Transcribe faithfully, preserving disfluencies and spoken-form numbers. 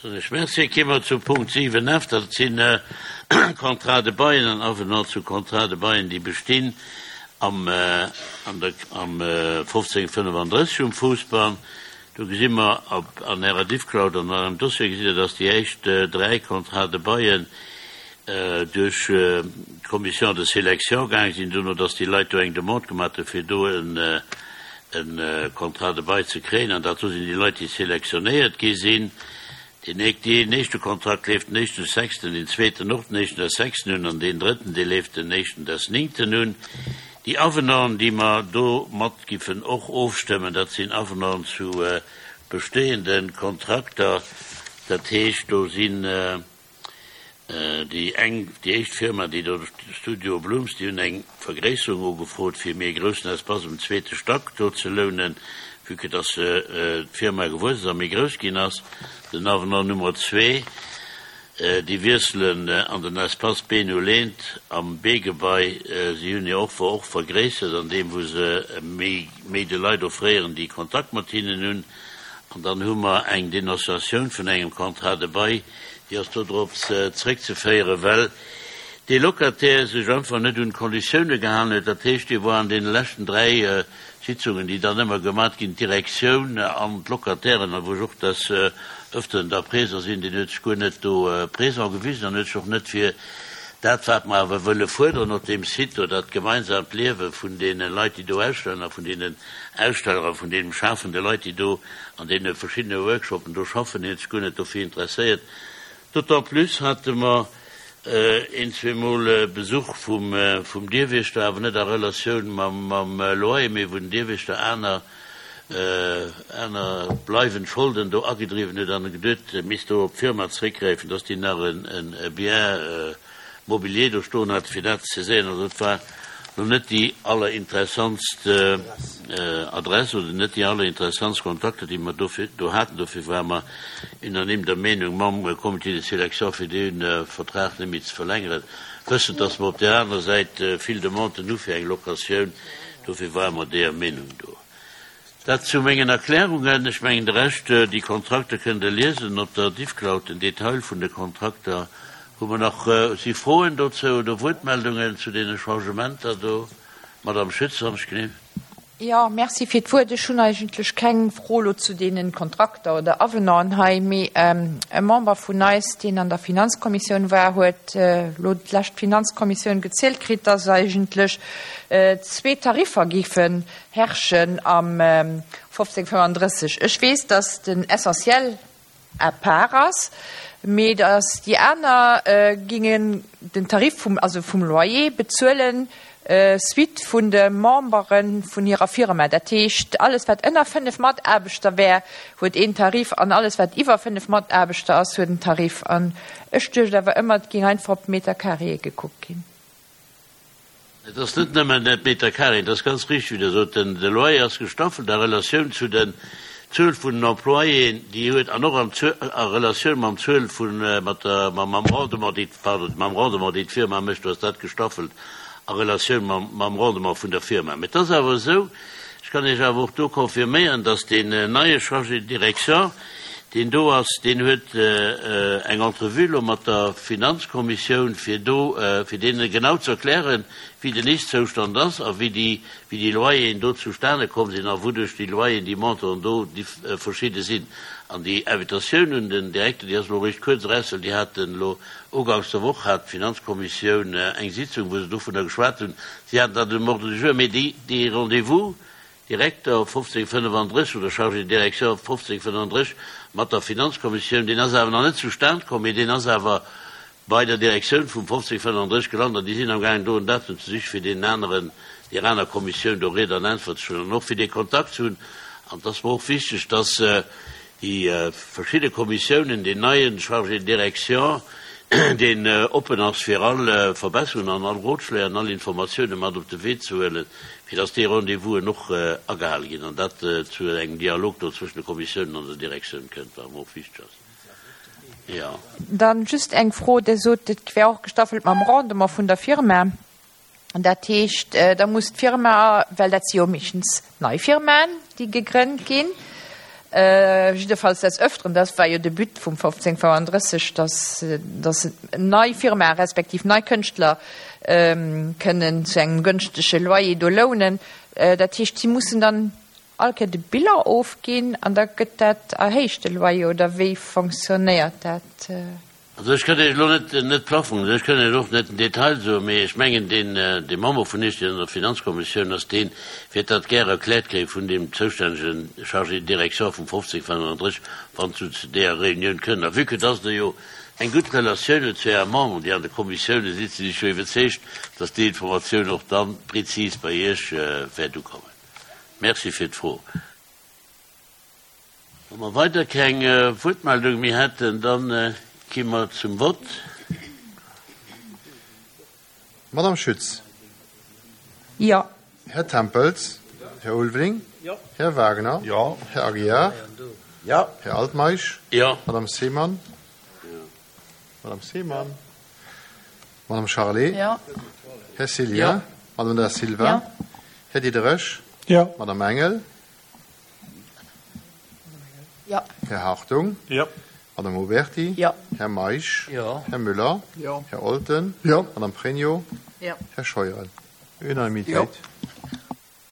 Soen ech Merci. Gi mer zum Punkt siwen F, dat sinn Contrats de bail an Avenant zu Contrats de bail, déi bestinn am, an der, am fofzéng fënnefandrësseg um Fousbann. Do gesi mer op, an Ärer Diffcloud an an Ärem Dossier gesitt Der, dass déi éischt dräi Contrats de bail duerch d'Commission de sélection gaange sinn, dono dass déi Leit do eng Demande gemaach hu fir do en, en Contrat de bail ze kréien, an dat do sinn déi Leit, déi selektionéiert gi sinn. Deen deen éischte Kontrakt leeft den éischten sechsten, deen zweeten och den éischten des sechsten un an deen drëtten, dee leeft den éischten des néngten un. Déi Avenanten, déi mer do mat giffen och ofstëmmen, dat sinn Avenanten zu bestehenden Kontrakter. Dat heescht, do sinn déi eng, déi éischt Firma, déi do Studio Blooms, déi hunn eng Vergréisserung ugefrot, fir méi e groussen Espace um zweete Stack do ze lounen, vue que dass d'Firma gewuess ass a méi grouss ginn ass. Den Avenant Nummer zwee, déi wiesselen an den Espace Beno Lehnt am B-Gebai. Si hunn hir Offer och vergréissert an deem, wou se méi, méi de Leit offréieren, déi Kontakt mat hinnen hunn. An dann hu mer eng Denonciatioun vun engem Contrat de bail, déi ass do drop zréckzeféieren, well dee Locataire sech einfach net un d'Konditioune gehalen huet. Dat heescht, dee war an deene leschten dräi Sitzungen, déi dann ëmmer gemat ginn, d'Direktioun an d'Locatairen, a wou ech och des Öfteren da présent sinn, deen huet sech guer net do présent gewisen an huet sech och net fir dat, wat mer awer wëlle fuerderen op deem Site do, dat gemeinsaamt Liewe vun deene Leit, déi do ausstellen, a vun deenen Aussteller a vun deenen schaffende Leit, déi do an deene verschiddene Workshopen do schaffen, deen huet sech guer net dofir interesséiert. D'autant plus hate mer een, zweemol Besuch vum, vum Dierwiechter, awer net a Relatioun mam, mam Loyer, mee wou den Dierwiechter aner, aner bleiwend Scholden do agedriwwen huet an e geduet, misst do op d'Firma zréckgräifen, dass déi nach en, en Bien mobilier do stoen hat, fir dat ze saiséieren. Also et war lo net déi allerinteressantst Adress oder net déi allerinteressantst Kontakter, déi mer dofir do haten. Dofir ware mer unanime der Meenung mam Comité de sélection, fir dee Vertrag net méi ze verlängeren, wëssend, dass mer op där anerer Säit vill Demanden hu fir eng Locatioun. Dofir ware mer deeër Meenung do. Dat zu mengen Erklärungen. Ech mengen, de Rescht, déi Kontrakter kënnt Der liesen op der Diffcloud, den Detail vun de Kontrakter. Hu mer nach, si Froen dozou oder Wuertmeldungen zu deene Changementer do? Madame Schütz, wann ech gleef. Jo, merci fir d'Wuert. Ech hunn eigentlech keng Fro elo zu deene Kontrakter oder Avenanten hei, mee e Member vun eis, deen an der Finanzkommissioun war, huet elo d'lescht Finanzkommissioun gezielt kritt, dass eigentlech zwee Tariffer géifen herrschen am fofzéng fënnefandrësseg. Ech weess, dass den Essentiel à part ass, mee dass déi aner gingen den Tarif vum, also vum Loyer bezuelen, suite vun de Membere vun hirer Firma. Dat heescht, alles wat ënner fënnef Mataarbechter wär, huet een Tarif, an alles wat iwwer fënnef Mataarbechter ass, huet en Tarif. An ech duecht awer ëmmer, et géing einfach op d'Meter carré gekuckt ginn. Et ass net nëmmen d'Meter carré, et ass ganz richteg, wéi Der sot, den de Loyer ass gestaffelt a Relatioun zu den Zuel vun den Employéen, déi huet, an och an a Relatioun mam Zuel vun, mat der, mam Rendement, déi, pardon, mam Rendement, déi d'Firma mécht, do ass dat gestaffelt a Relatioun mam, mam Rendement vun der Firma. Mee et ass awer esou, ech kann Iech awer och do confirméieren, dass deen neie Chargé de direction, deen do ass, deen huet eng Entrevue elo mat der Finanzkommissioun, fir do, fir deene genau ze erklären, wéi den Ist-Zoustand ass a wéi déi, wéi déi Loyeren do zustane komm sinn a wouduerch déi Loyeren, déi Montanten do verschidde sinn. An déi Invitatioun un den Direkter, déi ass elo eréischt kuerz eraus, well déi haten elo uganks der Woch hat d'Finanzkommissioun eng Sitzung, wou se dovunner geschwat hunn. Si haten dat um Ordre du jour, mee déi, dee Rendez-vous, Direkter fofzéng fënnefandrësseg oder Chargé de direction fofzéng fënnefandrësseg mat der Finanzkommissioun, deen ass awer nach net zustan komm, mee deen ass awer bei der Direktioun vum fofzéng fënnefandrësseg gelant an déi sinn amgaangen do en Datum ze sichen, fir deenen aneren, deer aner Kommissioun do Ried an Äntwert ze stoen an och fir dee Kontakt ze hunn. An et ass mer och wichteg, dass déi verschidde Kommissiounen, deen neien Chargé de direction, deen oppen ass fir all Verbesserungen an all Rotschléi an all Informatiounen mat op de Wee ze huelen, fir dass déi Rendez-vousen och agehale ginn an dat zu engem Dialog do zwëschen de Kommissiounen an der Direktioun kënnt, wat mer och wichteg ass. Jo. Dann just eng Fro, Dir sot, et wär och gestaffelt mam Rendement vun der Firma. Dat heescht, da muss d'Firma, well dat si jo meeschtens nei Firmaen, déi gegrënnt ginn, Jiddefalls des Öfteren, dat war jo de But vum fofzéng fënnenddrësseg, dass, dass nei Firmae respektiv nei Kënschtler kënnen zu engem gënschtege Loyer do lounen. Dat heescht, si mussen dann all Kéier de Bilan ofginn an da gëtt dat erhéicht, de Loyer, oder wéi fonctionnéiert dat? Also ech kënnt Iech elo net net Plafong, ech kënnt Iech och net den Detail soen, mee ech mengen deen dee Member vun Iech, deen an der Finanzkommissioun ass, dee wäert dat gäre erkläert kréie vun deem zoustännege Chargé de direction vum fofzéng fënnenddrësseg, wann se zu deeër Reunioun kënnen. A vue que dass Der jo eng gutt Relatioun hutt zu Äre Memberen, déi an de Kommissiounen sitzen, sinn ech jo iwwerzeegt, dass déi Informatioun och da prezis bei Iech wäert ukommen. Merci fir d'Fro. Wa mer weider keng Wuertmeldung méi hätten, da gi mer zum Vott. Madame Schütz. Jo. Här Tempels. Här Ulveling. Här Wagner. Jo. Här Aguiar. Jo. Här Altmeisch. Jo. Madame Seemann. Madame Seemann. Madame Charlé. Jo. Här Cillien. Jo. Madame Da Silva. Jo. Här Diderich. Jo. Madame Engel. Jo. Här Hartung. Jo. Madame Oberti. Jo. Här Meisch. Jo. Här Müller. Jo. Här Olten. Jo. Madame Pregno. Jo. Här Scheuren. Unanimitéit.